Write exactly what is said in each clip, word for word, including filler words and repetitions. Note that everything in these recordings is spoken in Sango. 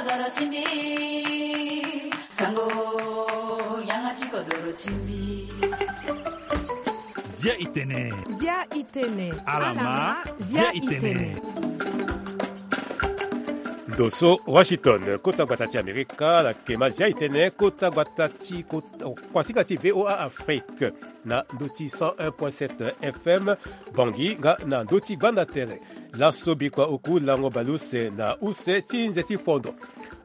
Doro ti mbi, sango, yanga ti kodoro ti mbi. Zia itene. Zia itene. Alama, zia itene. Ndo so Washington, kota gbata ti Amerika, la kema zia itene, kota gbata ti kota, kuasinga ti V O A Afrique, na ndo ti cent un point sept F M, Bangui, nga na ndo ti gbanda tere. Laso bikua oku lango baleuse na use ti nze ti fondo.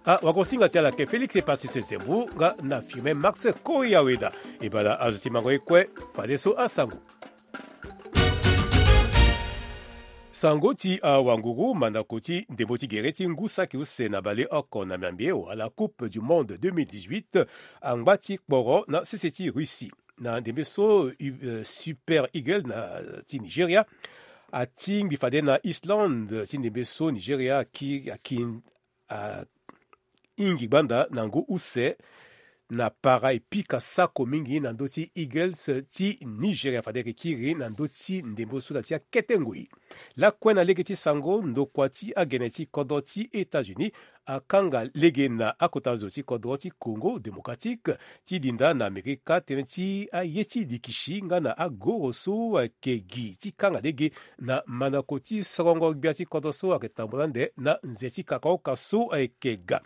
Awagosinga ti ala ayeke Félix Epasis Zembu nga na Firmin Max Koyaweda. E bala azo ti mango ye kue, fadeso asango. Sango ti awanguru, mandako ti ndembo ti gere ti ngu saki use na baleoko na Miambe wala Coupe du Monde deux mille dix-huit angba ti kporo na sese ti Russie. Na ndembe so, euh, Super Eagles na, ti Nigeria atingbi fade na Islande ti ndembe so Nigeria aki, aki, a, hingi gbanda na ngu use na para e pika sako mingi na ndö ti Eagles ti Nigeria fade ayeke kiri na ndö ti ndembe so na ti akete ngoi. Lakue na lege ti sango, ndokua ti agene ti kodro ti États-Unis akanga lege na akota zo ti kodro ti Congo Démocratique ti linda na Amerika tënë ti aye ti likisi nga na agoro so ayeke gi ti kanga lege na mandako ti sorongo gbia ti kodro so ayeke tambula ande na nze ti kakaoka so ayeke ga.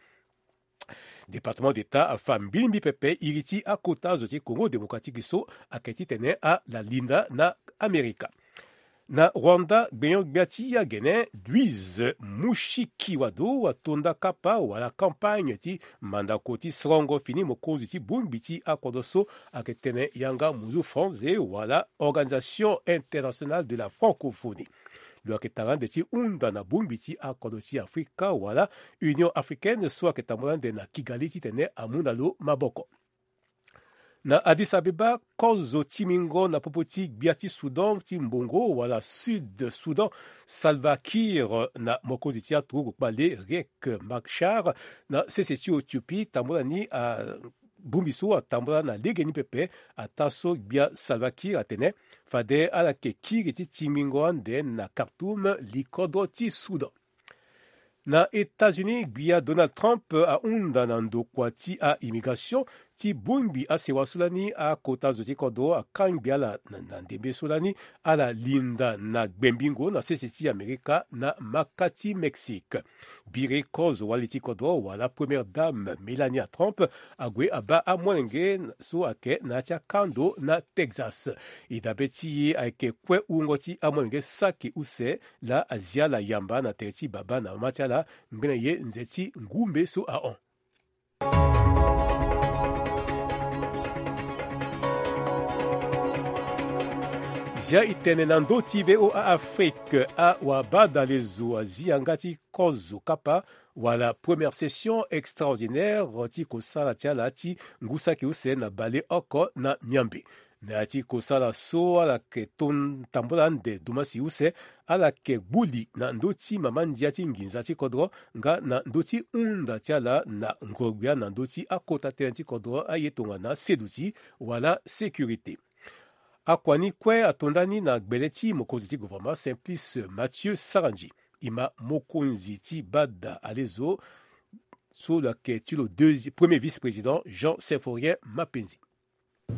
Département d'État afa mbilimbi pepe iri ti akota zo ti Congo Démocratique so ayeke titene ala linda na Amerika. Na Rwanda, gbenyo-gbia ti agene Louise Mushikiwado atonda kapa wala campagne ti mandako ti sorongo fini mokonzi ti bongbi ti akodro so ayeke tene yanga munzu France wala Organisation Internationale de la Francophonie. Lo yeke tara ande ti hunda na bongbi ti akodro ti Afrika wala Union Africaine so ayeke tambula ande na Kigali titene amu na lo maboko. Na Addis Abeba, kozo ti mingo na popo ti gbia ti Soudan ti mbongo wala Sud Soudan, Salva Kiir na mokonzi ti aturugu kpale Riek Machar na sese ti Éthiopie tambula ni, a, bongbi so atambula na legeni pepe, ataa so gbia Salva Kiir atene fade ala yeke kiri ti tingbingo ande na Khartoum, likodro ti Soudan. Na États-Unis, gbia Donald Trump ahunda na ndokua ti a-immigration ti bongbi asewa so lani akota zo ti kodro akangbi ala na, na ndembe so lani ala linda na gbembingo na sese ti Amerika na maka ti Mexique. Biri kozo wali ti kodro wala Première Dame Melania Trump ague abaa amolenge so ayeke na ya ti akando na Texas. E dabe ti e ayeke kue wungo ti amolenge saki use laa azia ala yamba na tere ti baba na mama ti ala ngbene ye nze ti ngumbe so ahon. Zia e tene na ndö ti V O A Afrique, awabadalezo azi yanga ti kozo kapa wala première session extraordinaire ti kosala ti ala ti ngu saki use na bale oko na Miambe. Na ya ti kosala so ala yeke ton tambula ande dumasi use, ala yeke gbuli na ndö ti mama ndia ti nginza ti kodro nga na ndö ti hunda ti ala na ngoro-gbia na ndö ti akota tënë ti kodro, aye tongana seduti wala sécurité. Akua ni kue atonda ni na gbele ti mokonzi ti gouvernement Simplice Mathieu Sarandji. E ma mokonzi ti bada alezo so lo yeke ti lo deuxi-, premier vice-président Jean Symphorien Mapenzi.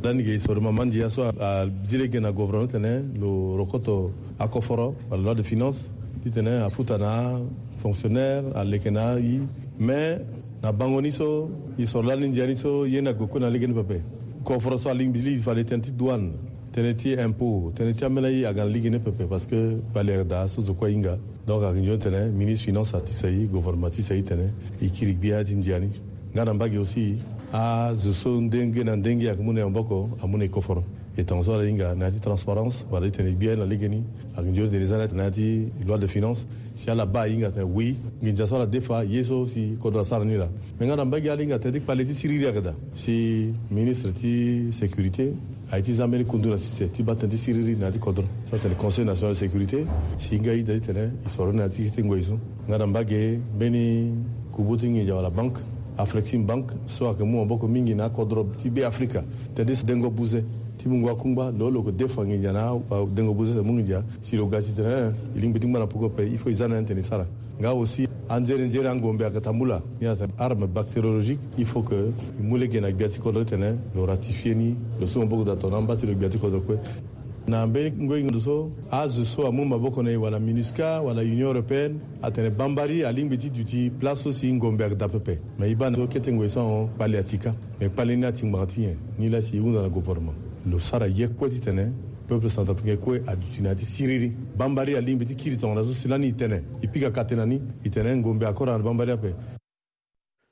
Lani ge e soro mama ndia so a, azi lege na gouvernement titene lo rokoto akoforo wala loi de finance titene afuta na afonctionnaire, aleke na ayi. Mais na bango ni so e soro lani ndia ni so ye ni ague kue na lege ni pepe. Koforo so alingbi li fade tënë ti douane, tënë ti impôt, tënë ti ambeni aye aga na lege ni pepe parce que valeur daa so zo kue ahinga. Donc ayeke nzoni tene ministre finance atisa e, gouvernement atisa e titene e kiri gbia ti ndia ni. Nga na mbage aussi, azo so ndenge na ndenge ayeke mu na e maboko amu na e koforo. E tongaso ala hinga na ya ti transparence wala titene e gbia ni na legeni. Ayeke nzoni tene e za na ya ti loi de finance, si ala baa e hinga tene oui, nginza so ala defa ye so si kodro asara ni laa. Me nga na mbage ala hinga tene ti kpale ti siriri ayeke daa. Si ministre ti sécurité aye ti za mbeni kundu na sese ti baa tënë ti siriri na ya ti kodro. So atene Conseil national de sécurité si e hinga ida titene e soro ni na ya ti kete ngoi so. Nga na mbage mbeni kubu ti nginza wala banque, Afrexim Bank, so ayeke mu maboko mingi na akodro ti Be Afrika. Tënë ti dengo buze ti mungo akungba, lo lo yeke defa nginza na adengo buze tene mu nginza. Si lo ga titene e lingbi ti ngba na popo ape, il faut e za na ya ni tene e sara. Nga aussi Anzere nzere angombe ayeke tambula ni atene arme bactériologique. Il faut que e mu lege na gbia ti kodro ti tene lo ratifier ni, lo so maboko daa tongana amba ti lo gbia ti kodro kue. Na mbeni ngoi ndo so azo so amu maboko na e wala minusca wala union européenne atene bambari alingbi ti duti place so si ngombe ayeke daa pepe. Mais e baa na so kete ngoi so ahon kpale ati kâ. Mais kpale ni ati ngbanga ti nyen? Ni laa si e hunda na gouvernement lo sara ye kue ti tene peuple centrafricain kue aduti na ya ti siriri. Bambari alingbi ti kiri tongana so si lani e tene e pika kate na ni, e tene ngombe akora na bambari ape.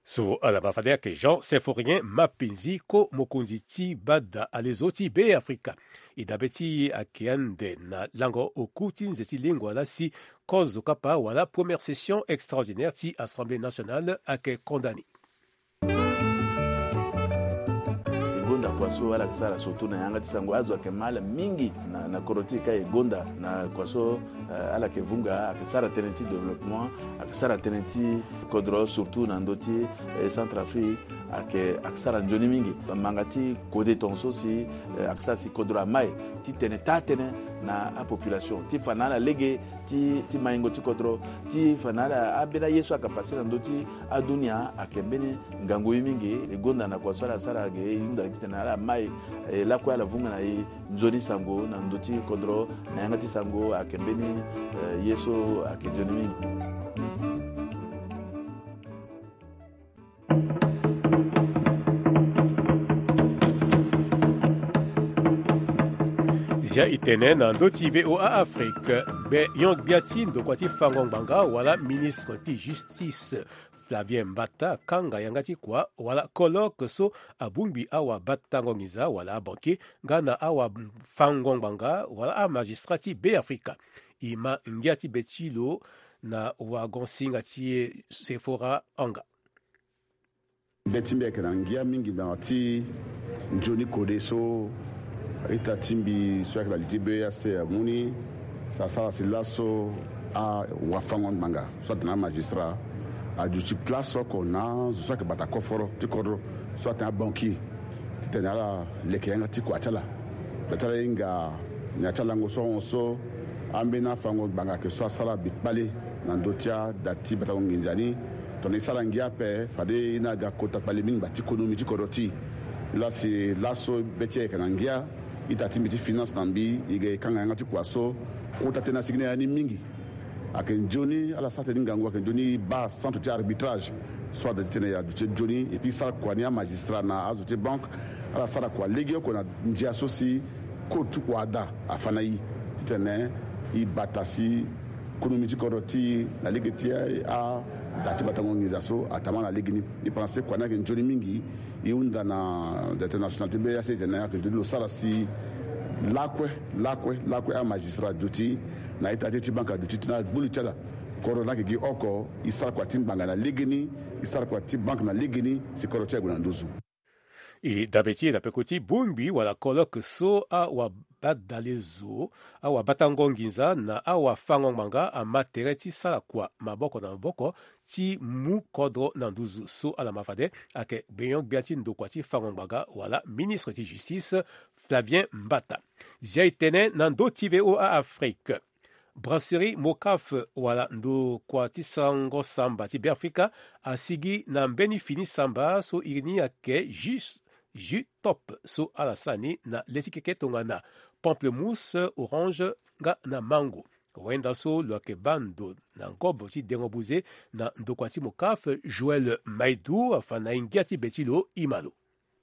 So ala ma fade ayeke Jean Symphorien Mapenzi, ko mokonzi ti bada alezo ti Beafrika. E dabe ti e ayeke ande na lango oku ti nze ti lengua laa si kozo kapa wala première session extraordinaire ti Assemblée nationale ayeke konda ni. E gonda kua so ala yeke sara surtout na yanga ti sango, azo ayeke ma ala mingi na, na kodro ti e ka. E gonda na kua so, eh, ala yeke vunga, ayeke sara tënë ti développement, ayeke sara tënë ti kodro surtout na ndö ti, eh, Centrafrique, ayeke, ayeke sara nzoni mingi. Manga ti kode tongaso si, eh, ayeke sara si kodro amai ti tene taa tënë na apopulation ti fa na ala lege ti, ti maingo ti kodro, ti fa na ala ambeni aye so ayeke pase na ndö ti adunia ayeke mbeni ngangu ye mingi. E gonda na kua so ala sara ge, e hunda titene ala mai, eh, lakue ala vunga na e nzoni sango na ndö ti kodro. Na yanga ti sango ayeke mbeni, eh, ye so ayeke nzoni mingi. Zia e tene na ndö ti V O A Afrique, gbenyo-gbia ti ndokua ti fango ngbanga wala ministre ti justice, Flavien Mbata, akanga yanga ti kua wala colloque so abongbi awabatango nginza wala abanki nga na awafango ngbanga wala amagistrat ti Beafrika. E ma ngia ti be ti lo na wagon-singa ti e Sephora Anga. Be ti mbi ayeke na ngia mingi na ti nzoni kode so ita ti mbi so ayeke na li ti B E A C amu ni. Asara si laso awafango ngbanga so atene amagistrat aduti place oko na azo so ayeke bata koforo ti kodro so atene abanki titene ala leke yanga ti kua ti ala. Be ti ala hinga na ya ti alango so ahon so ambeni afango ngbanga ayeke so asara mbi kpale na ndö ti ada ti batango nginza ni. Tongana e sara ngia ape fade e na aga kota kpale mingi ngba ti konomi ti kodro ti e. Laa si laso be ti e ayeke na ngia, ita ti mbi ti finance na mbi e ga e kanga yanga ti kua so kota tënë asigi na ya ni mingi. Ayeke nzoni ala sara tënë ni ngangu, ayeke nzoni e baa centre ti arbitrage so ada titene e aduti nzoni. Et puis e sara kua ni amagistrat na azo ti banque ala sara kua legeoko na ndia so si code ti kua ada afa na e titene e bata si konomi ti kodro ti e na lege ti ada ti batango nginza so atama na legeni. E pense kua ni ayeke nzoni mingi. E hunda na directeur national ti B E A C titene ayeke nzoni lo sara si lakue lakue lakue amagistrat aduti na ita ti e ti banque aduti titene ala gbu li ti ala. Kodro ni ayeke gi oko, e sara kua ti ngbanga na legeni, e sara kua ti banque na legeni si kodro ti e ague na nduzu. E dabe ti e na peko ti bongbi wala colloque so awabadalezo, awabatango nginza na awafango ngbanga ama tere ti sara kua maboko na maboko ti mu kodro na nduzu so ala ma fade ayeke gbenyo-gbia ti ndokua ti fango ngbanga wala ministre ti justice, Flavien Mbata. Zia e tene na ndö ti V O A Afrique. Brasserie Mocaf wala ndokua ti sango samba ti Beafrika asigi na mbeni fini samba so iri ni ayeke jus, jus top so ala sara ni na le ti keke tongana pamplemousse, orange nga na mango. Wenda so lo yeke baa ndo na ngobo ti dengo buze na ndokua ti Mocaf, Joël Maidou afa na e ngia ti be ti lo, e ma lo.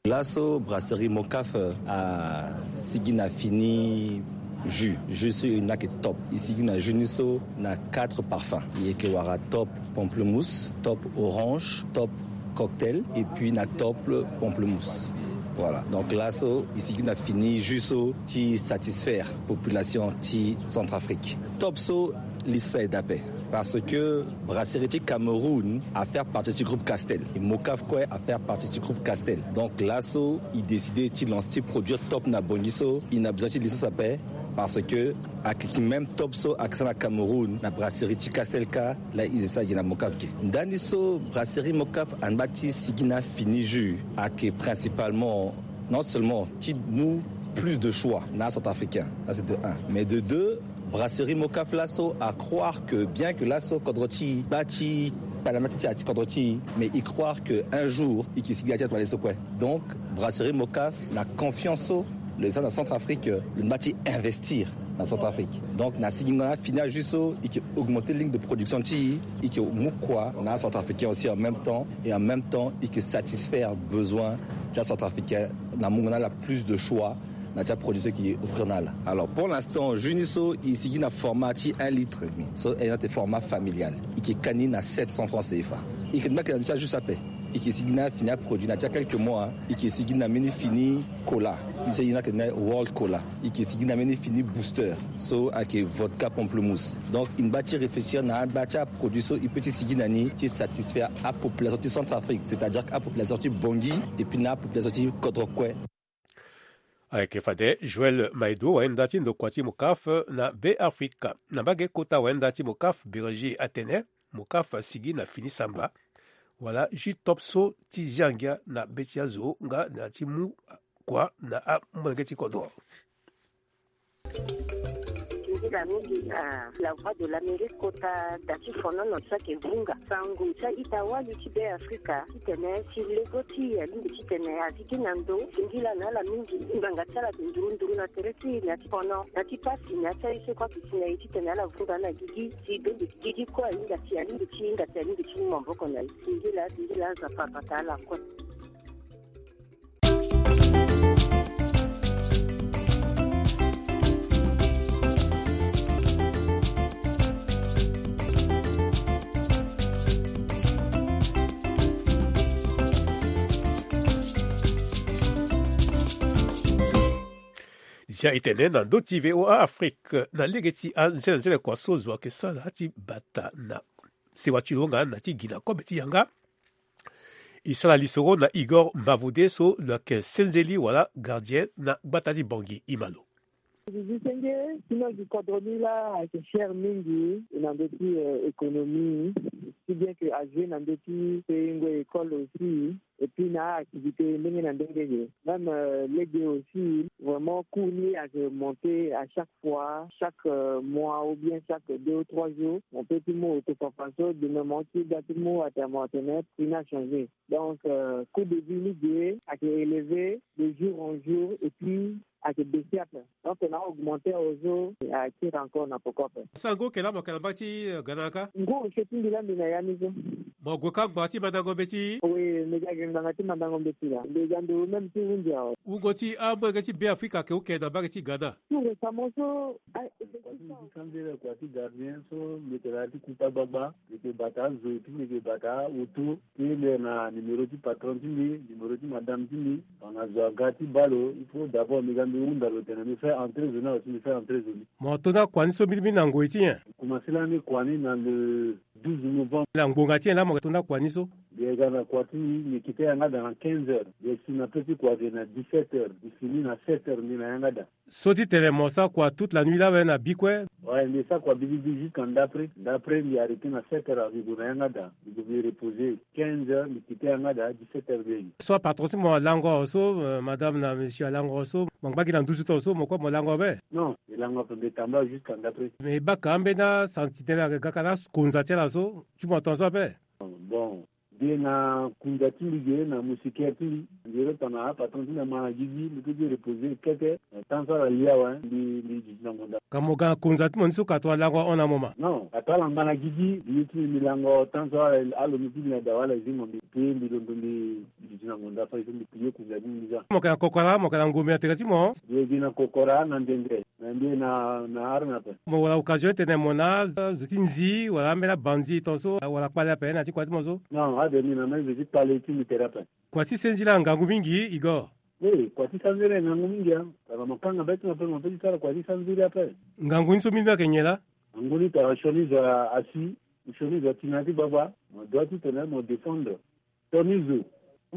Laso brasserie Mocaf asigi na fini jus, jus so e na yeke top. E sigi na jus ni so na quatre parfums. E yeke wara top pamplemousse, top orange, top cocktail et puis na top pamplemousse. Voilà. Donc laso e sigi na fini jus so ti satisfaire population ti Centrafrique. Top so li so aye daa ape. Parce que brasserie ti Cameroun a faire partie du groupe Castel. Et Mocaf kue a faire partie du groupe Castel. Donc laso e décidé ti lancer ti produire top na Bangui so e na besoin ti licence ape. Parce que ayeke même top so ayeke sara na Cameroun na brasserie ti Castel kâ, la e sara gi na Mocaf ge. Ndani so brasserie Mocaf angba ti sigi na fini jus ayeke principalement non seulement ti mu plus de choix na acentrafricain, là c'est de un, mais de deux, Brasserie Mocaf laso a croire que bien que laso kodro ti, bâ ti, palama ti ti a ti kodro ti, mais il croire que un jour il ke sigi na ti atoile so kue. Donc Brasserie Mocaf na confiance so le sa na Centrafrique, le mba ti investir na Centrafrique. Donc na sigi nga na fini a juste so il ke augmenter ligne de production ti, il ke mu kua na Centrafricain aussi en même temps, et en même temps il ke satisfaire besoin ti Centrafricain, na mu nga na la plus de choix na ti aproduit so e ke offrir na ala. Alors pour l'instant juni so e sigi na format ti un litre et demi, so e na te format familial, e ke kani na sept cents francs C F A. E ke mba ke na ti ajus ape. E ke sigi na fini aproduit na ti a quelques mois, e ke sigi na mbeni fini cola, e sigi na ke na world cola, e ke sigi na mbeni fini booster so ayeke vodka pamplemousse. Donc e mba ti réfléchir na aba ti aproduit so e peut ti sigi na ni ti satisfaire apopulation ti Centrafrique, c'est-à-dire apopulation ti Bangui et puis na apopulation ti kodro kue. Ayeke fade Joël Maïdou, wayenda ti ndokua ti Mocaf na Be Afrika. Na mbage kota wayenda ti Mocaf Bérégie atene Mocaf asigi na fini samba wala jus top so ti zia ngia na be ti azo nga na ti mu kua na amolenge ti kodro. Nzila mingi na la voix de l'Amérique kota da ti fonono ti ayeke vunga sango ti a-ita wali ti Be Afrika titene si lego ti e alingbi titene azi gi na ndo. Singila na ala mingi ngbanga ti ala ayeke nduru nduru na tere ti e na ti fono na ti pasi na ya ti aye so kue ayeke si na e titene ala vunga na gigi si bende gigi kue ahinga si alingbi ti hinga si alingbi ti mu maboko na e. Singila singila Nzapa abata ala kue. Zia e tene na ndö ti V O A Afrique na lege ti anzenanzene kua so zo ayeke sara ti bata na sewa ti lo nga na ti gi na kobe ti yanga. E sara lisoro na Igor Mavode so lo yeke senzeli wala gardien na gbata ti Bangui, e ma lo. Zizi senge ti no gi kodro ni laa ayeke cher mingi na ndö ti économie, si bien que ajoue na ndö ti paye ngoi école aussi. Et puis na activité ndenge na ndenge ge même lege aussi vraiment coût ni ayeke monter à chaque fois, chaque mois ou bien chaque deux ou trois jours. On peut ti mu auto fafa so demain mo ti ga ti mu atene mo atene prix ni achangé. Donc coût de vie ni ge ayeke élevé de jour en jour et puis ayeke baisser ape. Donc na augmenter ozo ayeke tire encore na poko ape. Sango ke laa mo yeke na mbage ti gana ka? Ngu ose ti mbi laa mbi na ya ni so. Mo gue ka ngbanga ti mandango mbeti? Oui mbi ga gi ngbanga ti mandango mbeti laa, mbi ga nduru même ti hunzi awe. Wungo ti amolenge ti Be Afrika ayeke uke na mbage ti gana? Tout récemment so. Kua ti sanzere kua ti gardien so mbi yeke na ya ti kuta gbagba, mbi yeke bata azo et puis mbi yeke bata auto. Ti mbi na numéro ti patron ti mbi, numéro ti madame ti mbi. Tongana zo aga ti baa lo il faut d'abord mbi ga mbi hunda lo tene mbi fait entrer zo ni awe si mbi fait entrer zo ni. Mo to nda kua ni so mbirimbiri na ngoi ti nyen? Mbi commencer lani kua ni na le douze novembre. Na ngbonga ti nyen laa mo yeke to nda kua ni so? Mbi yeke ga na kua ti mbi, mbi kite yanga daa na quinze heures, mbi yeke si na peu ti kua ge na dix-sept heures, mbi fini na sept heures mbi na yanga daa. So ti tene mo sara kua toute la nuit laa awe na bi kue? Ouais mbi sara kua bibibi jusqu'à ndapre. Ndapre mbi arrêter na sept heures awe mbi gue na yanga daa, mbi gue mbi reposer quinze heures, mbi kite yanga daa dix-sept heures mbi ye gi. So apatron ti mo alango awe so, madame na monsieur alango awe so, mo ngba gi na nduzu ti lo so mo kue mo lango awe be? Non mbi lango ape, mbi tambula jusqu'à ndapre. Mais e baka ambeni asantinelle ayeke ga ka na akonza ti ala so ti mo tongaso ape? Bon, mbi ye na kunza ti mbi ge na moustiquaire ti mbi. Mbi ye tongana apatron ti mbi ama na gigi mbi peut ti reposer kete. Temps so ala li awe mbi mbi duti na ngonda. Ka mo ga na kunza ti mo ni so ka tongana lango ahon na mo ma? Non, ka tongana ala ngba na gigi mbi ye ti mbi mbi lango temps so ala lo mbi ti mbi na dawa ala zi mo mbi payé mbi londo mbi duti na ngonda fade so mbi payé kunza ti mbi ni za. Mo yeke na kokora, mo yeke na ngombe na tere ti mo? Mbi ye gi na kokora na ndende. Na mbi na na arme ape. Mo wara occasion ti tene mo na azo ti nzi wala ambeni abanzi tongaso wala kpale ape na ya ti kua ti mo so? Non ade mbi na même zo ti kpale ti mbi tere ape. Kua ti senziri angangu mingi Igor. Oui kua ti sanziri angangu mingi a. Tara mo kanga be ti mo ape mo pe ti sara kua ti sanziri ape. Ngangu ni so mingi ayeke nyen laa? Ngangu ni tara sioni zo asi, sioni zo ati na ya ti gbagba. Mo doit ti tene mo défendre. Sioni zo,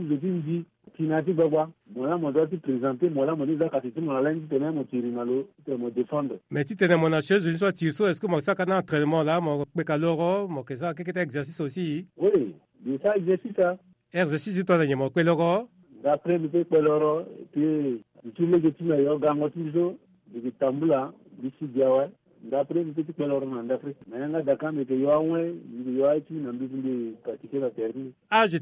zo ti nzi, ti na ya ti gbagba. Mo laa mo doit ti présenter mo laa mo ni za kasi ti mo na lani ti tene mo tiri na lo ti tene mo défendre. Mais ti tene mo na sioni zo ni so atiri so est-ce que mo sara ka na entraînement laa mo kpeka loro mo yeke sara kekete exercice aussi? Oui, mbi sara exercice a. Exercice ti tongana nyen mo kpe loro? D'après mbi pe kpe loro. Ti mbi ti lege ti mbi ayo gango ti mbi so, mbi yeke tambula, mbi si gi awe. Ndapre mbi pe ti kpeloro na ndapre. Mais yanga daka mbi yeke yo awe, mbi yeke yo aye ti mbi na nduzu mbi yeke pratiquer na terrain ni. Age